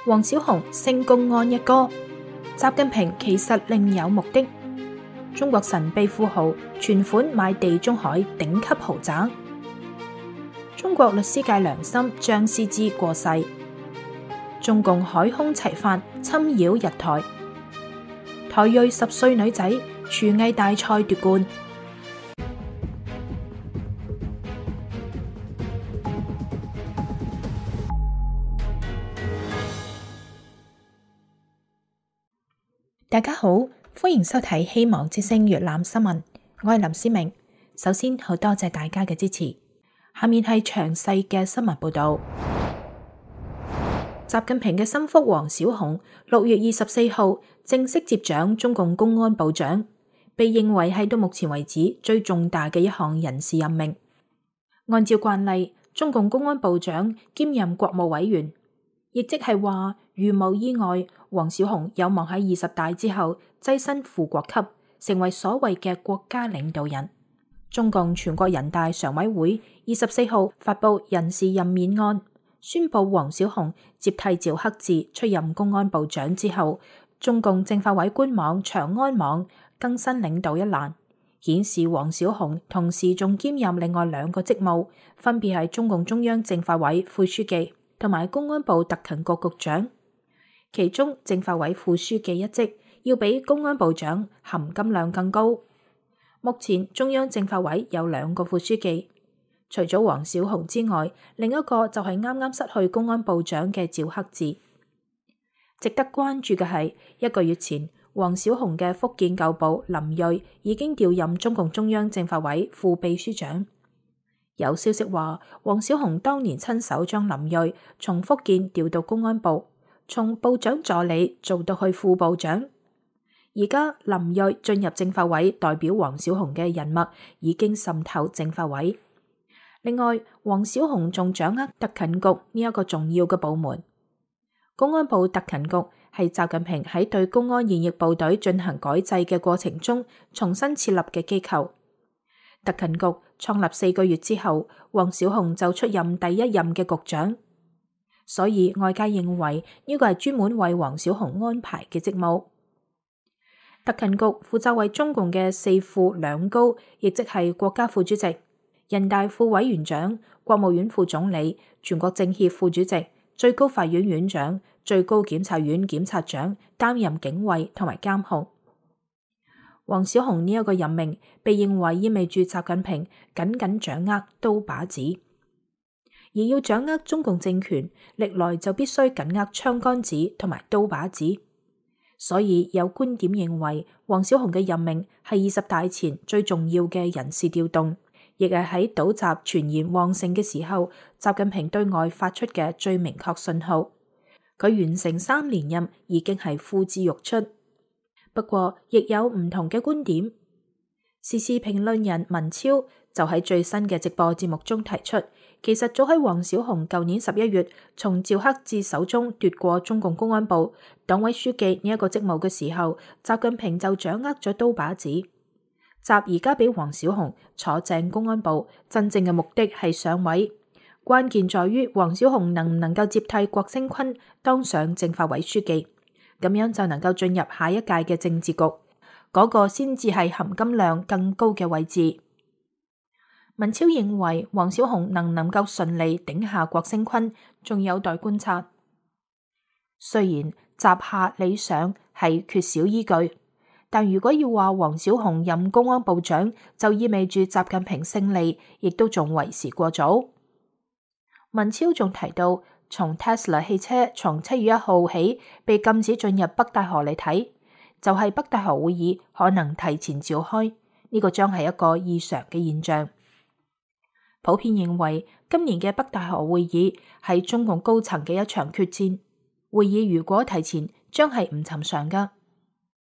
王小洪升公安一哥，習近平其實另有目的。中國神秘富豪存款買地中海頂級豪宅。中國律師界良心張思之過世。中共海空齊發侵擾日台。台裔10歲女仔廚藝大賽奪冠。大家好，歡迎收睇希望之聲粵覽新聞，我係林思明。首先好多謝大家嘅支持，下面係詳細嘅新聞報道。習近平嘅心腹王小洪6月24號正式接掌中共公安部長，被認為係到目前為止最重大嘅一項人事任命。按照慣例，中共公安部長兼任國務委員，亦即係話，如無意外，王小洪有望喺20大之後躋身副國級，成為所謂嘅國家領導人。中共全國人大常委會24號發布人事任免案，宣布王小洪接替趙克志出任公安部長之後，中共政法委官網長安網更新領導一欄，顯示王小洪同時仲兼任另外2個職務，分別係中共中央政法委副書記同埋公安部特勤局局長。其中政法委副書記一職要比公安部長含金量更高。目前中央政法委有2個副書記，除咗王小洪之外，另一個就係啱啱失去公安部長嘅趙克志。值得關注嘅係，1個月前王小洪嘅福建舊部林銳已經調任中共中央政法委副秘書長。有消息話，王小洪當年親手將林銳從福建調到公安部，從部長助理做到去副部長。而家林銳進入政法委，代表王小洪嘅人脈已經滲透政法委。另外，王小洪仲掌握特勤局呢一個重要嘅部門。公安部特勤局係習近平喺對公安現役部隊進行改制嘅過程中重新設立嘅機構。特勤局創立4個月之後，王小洪就出任第1任嘅局長。所以外界認為呢個係專門為王小洪安排嘅職務。特勤局負責為中共嘅4副2高，亦即係國家副主席、人大副委員長、國務院副總理、全國政協副主席、最高法院院長、最高檢察院檢察長擔任警衛同埋監控。王小洪呢一個任命被認為意味住習近平緊緊掌握刀把子。而要掌握中共政權，歷來就必須緊握槍桿子同埋刀把子。所以有觀點認為，王小洪嘅任命係20大前最重要嘅人事調動，亦係喺倒習傳言旺盛嘅時候，習近平對外發出嘅最明確信號。佢完成3連任已經係呼之欲出。不過，亦有唔同嘅觀點。時事評論人文超就喺最新嘅直播節目中提出，其實早喺王小洪舊年11月從趙克志手中奪過中共公安部黨委書記呢一個職務嘅時候，習近平就掌握咗刀把子。習而家俾王小洪坐正公安部，真正嘅目的係上位，關鍵在於王小洪能唔能夠接替郭聲琨當上政法委書記，咁樣就能夠進入下一屆嘅政治局，嗰個先至係含金量更高嘅位置。文超認為王小洪能唔能夠順利頂下郭聲琨，仲有待觀察。雖然習下理想係缺少依據，但如果要話王小洪任公安部長，就意味住習近平勝利，亦都仲為時過早。文超仲提到，從 Tesla 汽車從7月1號起被禁止進入北戴河嚟睇，就係北戴河會議可能提前召開，呢個將係一個異常嘅現象。普遍認為今年嘅北戴河會議係中共高層嘅一場決戰，會議如果提前，將係唔尋常噶。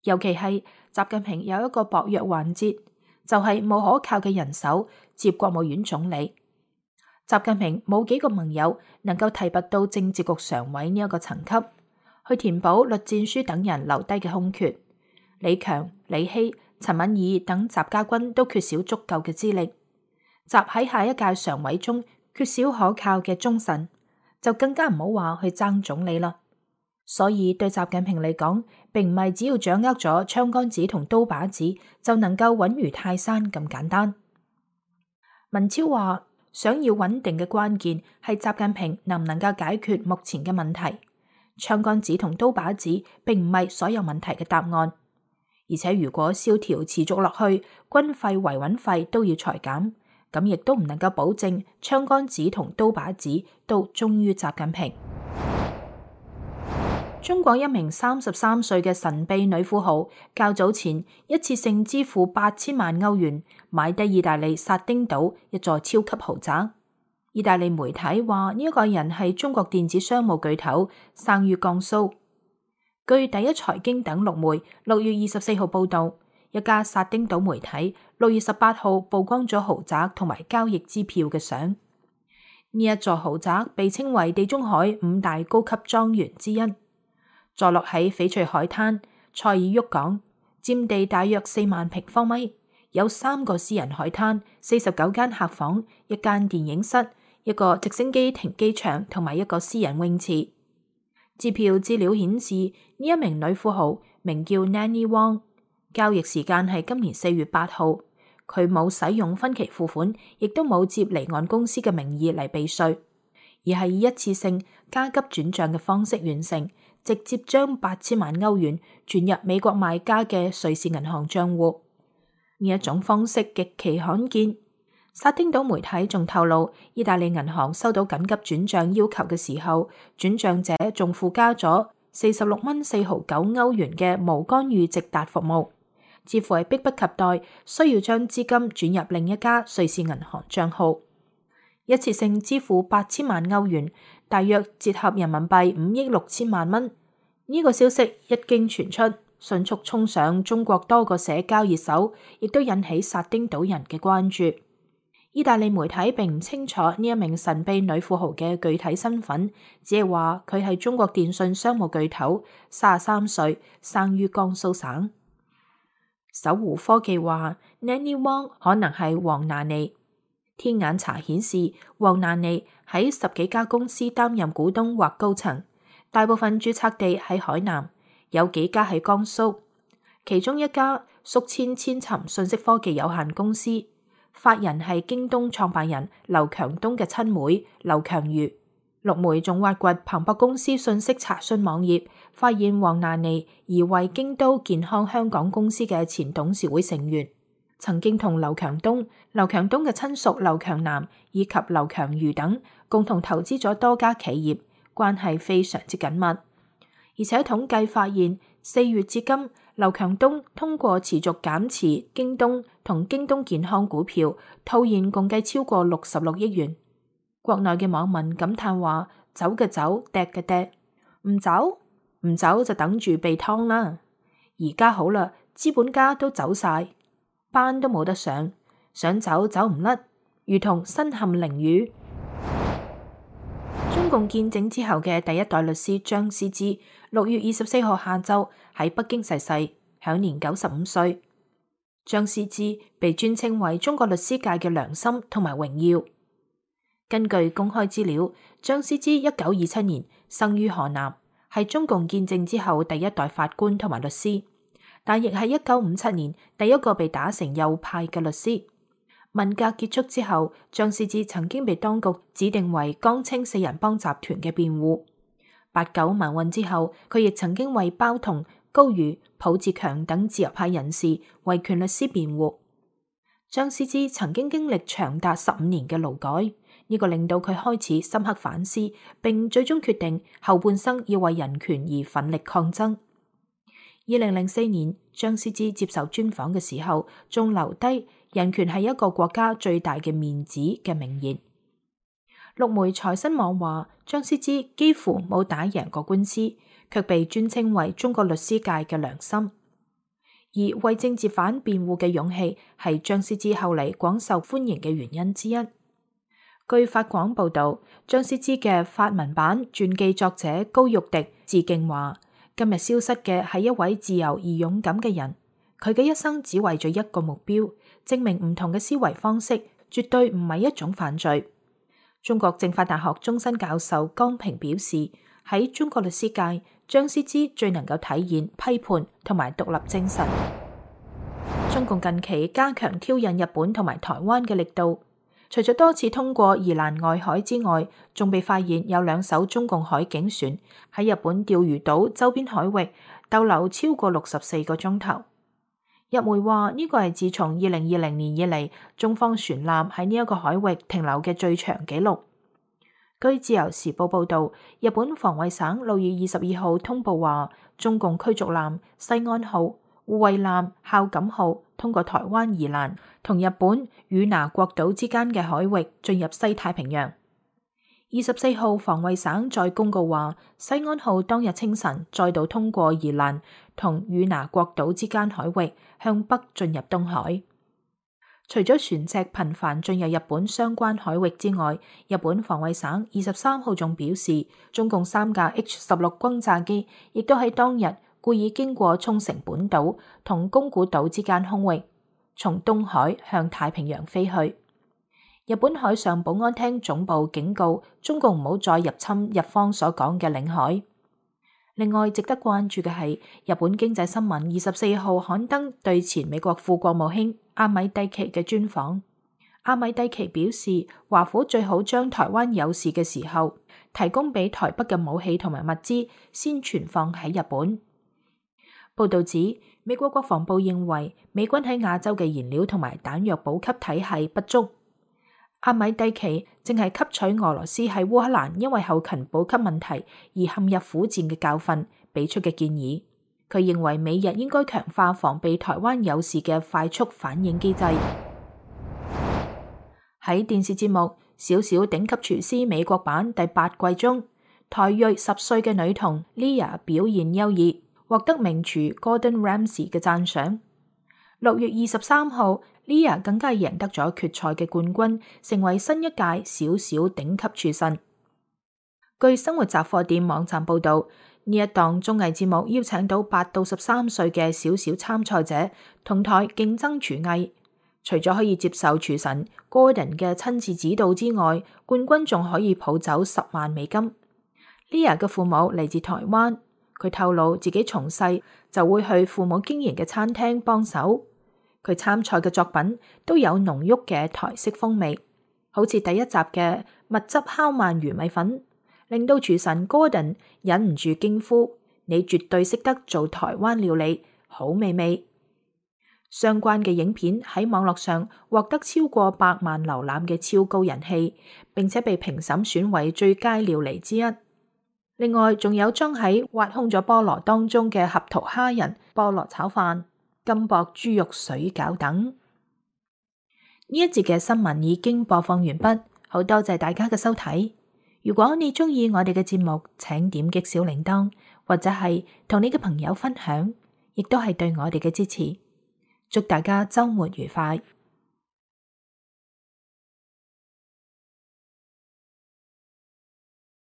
尤其係習近平有一個薄弱環節，就係冇可靠嘅人手接國務院總理。習近平冇幾個盟友能夠提拔到政治局常委呢一個層級，去填補栗戰書等人留低嘅空缺。李強、李希、陳敏爾等習家軍都缺少足夠嘅資歷。習喺下一屆常委中缺少可靠嘅忠臣，就更加唔好話去爭總理啦。所以對習近平嚟講，並唔係只要掌握咗槍桿子同刀把子就能夠穩如泰山咁簡單。文超話，想要穩定嘅關鍵係習近平能唔能夠解決目前嘅問題。槍桿子同刀把子並唔係所有問題嘅答案，而且如果蕭條持續落去，軍費、維穩費都要裁減，咁亦都唔能夠保證槍桿子同刀把子都忠於習近平。中國一名33歲嘅神秘女富豪，較早前一次性支付8000萬歐元買低意大利薩丁島一座超級豪宅。意大利媒體話呢一個人係中國電子商務巨頭，生於江蘇。據第一財經等陸媒6月24號報道，一家薩丁島媒體6月18號曝光咗豪宅同埋交易支票嘅相。呢一座豪宅被稱為地中海5大高級莊園之一。坐落喺翡翠海灘塞爾沃港，佔地大約4萬平方米，有3個私人海灘、49間客房、1間電影室、1個直升機停機場同埋1個私人泳池。支票資料顯示，呢一名女富豪名叫 Nanny Wong， 交易時間係今年4月8號，佢冇使用分期付款，亦都冇接離岸公司嘅名義嚟避稅，而係以一次性加急轉賬嘅方式完成，直接將8000萬歐元轉入美國買家嘅瑞士銀行賬戶。呢一種方式極其罕見。薩丁島媒體仲透露，意大利銀行收到緊急轉賬要求嘅時候，轉賬者仲附加咗46.459歐元嘅無干預直達服務，似乎係迫不及待需要將資金轉入另一家瑞士銀行賬號。一次性支付8000萬歐元，大約折合人民幣5億6千萬蚊。呢個消息一經傳出，迅速衝上中國多個社交熱搜，亦都引起薩丁島人嘅關注。意大利媒體並唔清楚呢一名神秘女富豪嘅具體身份，只係話佢係中國電信商務巨頭，33歲，生於江蘇省。搜狐科技話 Nanny Wong 可能係黃娜妮。天眼查顯示，黃娜妮喺10幾家公司擔任股東或高層，大部分註冊地喺海南，有幾家喺江蘇。其中一家宿遷千尋信息科技有限公司，法人係京東創辦人劉強東嘅親妹劉強如。陸媒仲挖掘彭博公司信息查詢網頁，發現黃娜妮疑為京都健康香港公司嘅前董事會成員，曾經同劉強東嘅親屬劉強南以及劉強如等共同投資咗多家企業，關係非常之緊密。而且統計發現，4月至今，劉強東通過持續減持京東同京東健康股票，套現共計超過66億元。國內嘅網民感嘆話：走嘅走，趯嘅趯，唔走就等住被劏啦。而家好啦，資本家都走晒，班都冇得上，想走走唔甩，如同身陷囹圄。中共建政之後嘅第一代律師張思之6月24號下晝喺北京逝世，享年95歲。張思之被尊稱為中國律師界嘅良心同埋榮耀。根據公開資料，張思之1927年生於河南，係中共建政之後第一代法官同埋律師，但亦係1957年第一個被打成右派嘅律師。文革結束之後，張思之曾經被當局指定為江青4人幫集團嘅辯護。89民運之後，佢亦曾經為包同、高瑜、浦志強等自由派人士維權律師辯護。張思之曾經經歷長達15年嘅勞改，呢個令到佢開始深刻反思，並最終決定後半生要為人權而奮力抗爭。2004年，張思之接受專訪嘅時候，仲留低人權係一個國家最大嘅面子嘅名言。陸媒財新網話，張思之幾乎冇打贏過官司，卻被尊稱為中國律師界嘅良心。而為政治犯辯護嘅勇氣係張思之後嚟廣受歡迎嘅原因之一。據法廣報道，張思之嘅法文版傳記作者高玉迪致敬話：今日消失嘅係一位自由而勇敢嘅人，佢嘅一生只為咗一個目標，證明唔同嘅思維方式絕對唔係一種犯罪。中國政法大學終身教授江平表示，喺中國律師界，張思之最能夠體現批判同埋獨立精神。中共近期加強挑釁日本同埋台灣嘅力度，除咗多次通過宜蘭外海之外，仲被發現有2艘中共海警船喺日本釣魚島周邊海域逗留超過64個鐘頭。日媒話呢個係自從2020年以嚟，中方船艦喺呢一個海域停留嘅最長紀錄。據自由時報報道，日本防衛省6月22號通報話，中共驅逐艦西安號、護衛艦孝感號通過台灣宜蘭同日本與那國島之間嘅海域進入西太平洋。24號防衛省再公告話，西安號當日清晨再度通過宜蘭同與那國島之間海域向北進入東海。除咗船隻頻繁進入日本相關海域之外，日本防衛省23號仲表示，中共3架 H-16轟炸機亦都喺當日故意經過沖繩本島同宮古島之間空域，從東海向太平洋飛去。日本海上保安廳總部警告中共唔好再入侵日方所講嘅領海。另外，值得關注嘅係日本經濟新聞24號刊登對前美國副國務卿阿米蒂奇嘅專訪。阿米蒂奇表示，華府最好將台灣有事嘅時候提供俾台北嘅武器同埋物資先存放喺日本。報道指，美國國防部認為美軍喺亞洲嘅燃料同埋彈藥補給體系不足。阿米蒂奇正係吸取俄羅斯喺烏克蘭因為後勤補給問題而陷入苦戰嘅教訓，俾出嘅建議。佢認為美日應該強化防備台灣有事嘅快速反應機制。喺電視節目《小小頂級廚師》美國版第8季中，台裔10歲嘅女童 Leah 表現優異，獲得名廚 Gordon Ramsay 嘅讚賞。6月23號，Leah 更加贏得咗決賽嘅冠軍，成為新一屆小小頂級廚神。據生活雜貨店網站報道，呢一檔綜藝節目邀請到8到13歲嘅小小參賽者同台競爭廚藝，除咗可以接受廚神 Gordon 嘅親自指導之外，冠軍仲可以抱走10萬美金。Leah 嘅父母嚟自台灣，佢透露自己從細就會去父母經營嘅餐廳幫手。佢參賽嘅作品都有濃郁嘅台式風味，好似第1集嘅蜜汁烤鰻魚米粉，令到廚神 Gordon 忍唔住驚呼：你絕對識得做台灣料理，好美味！相關嘅影片喺網絡上獲得超過100萬瀏覽嘅超高人氣，並且被評審選為最佳料理之一。另外，仲有裝喺挖空咗菠蘿當中嘅合桃蝦仁、菠蘿炒飯、金箔豬肉水餃等。呢一節嘅新聞已經播放完畢，好多謝大家嘅收睇。如果你鍾意我哋嘅節目，請點擊小鈴鐺，或者係同你嘅朋友分享，亦都係對我哋嘅支持。祝大家週末愉快！